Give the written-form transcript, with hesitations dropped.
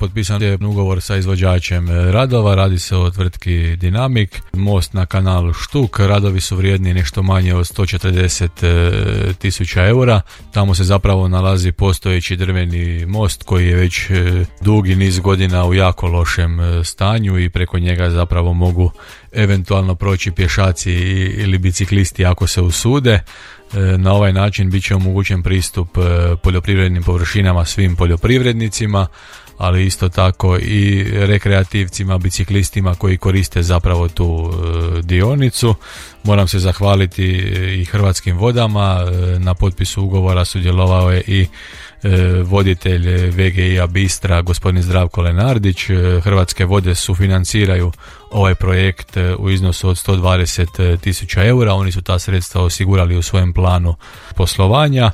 Potpisan je ugovor sa izvođačem radova, radi se o tvrtki Dinamik, most na kanalu Štuk, radovi su vrijedni nešto manje od 140.000 eura. Tamo se zapravo nalazi postojeći drveni most koji je već dugi niz godina u jako lošem stanju i preko njega zapravo mogu eventualno proći pješaci ili biciklisti ako se usude. Na ovaj način bit će omogućen pristup poljoprivrednim površinama svim poljoprivrednicima, ali isto tako i rekreativcima, biciklistima koji koriste zapravo tu dionicu. Moram se zahvaliti i Hrvatskim vodama, na potpisu ugovora sudjelovao je i voditelj VGI-a Bistra, gospodin Zdravko Lenardić. Hrvatske vode sufinanciraju ovaj projekt u iznosu od 120.000 eura, oni su ta sredstva osigurali u svojem planu poslovanja.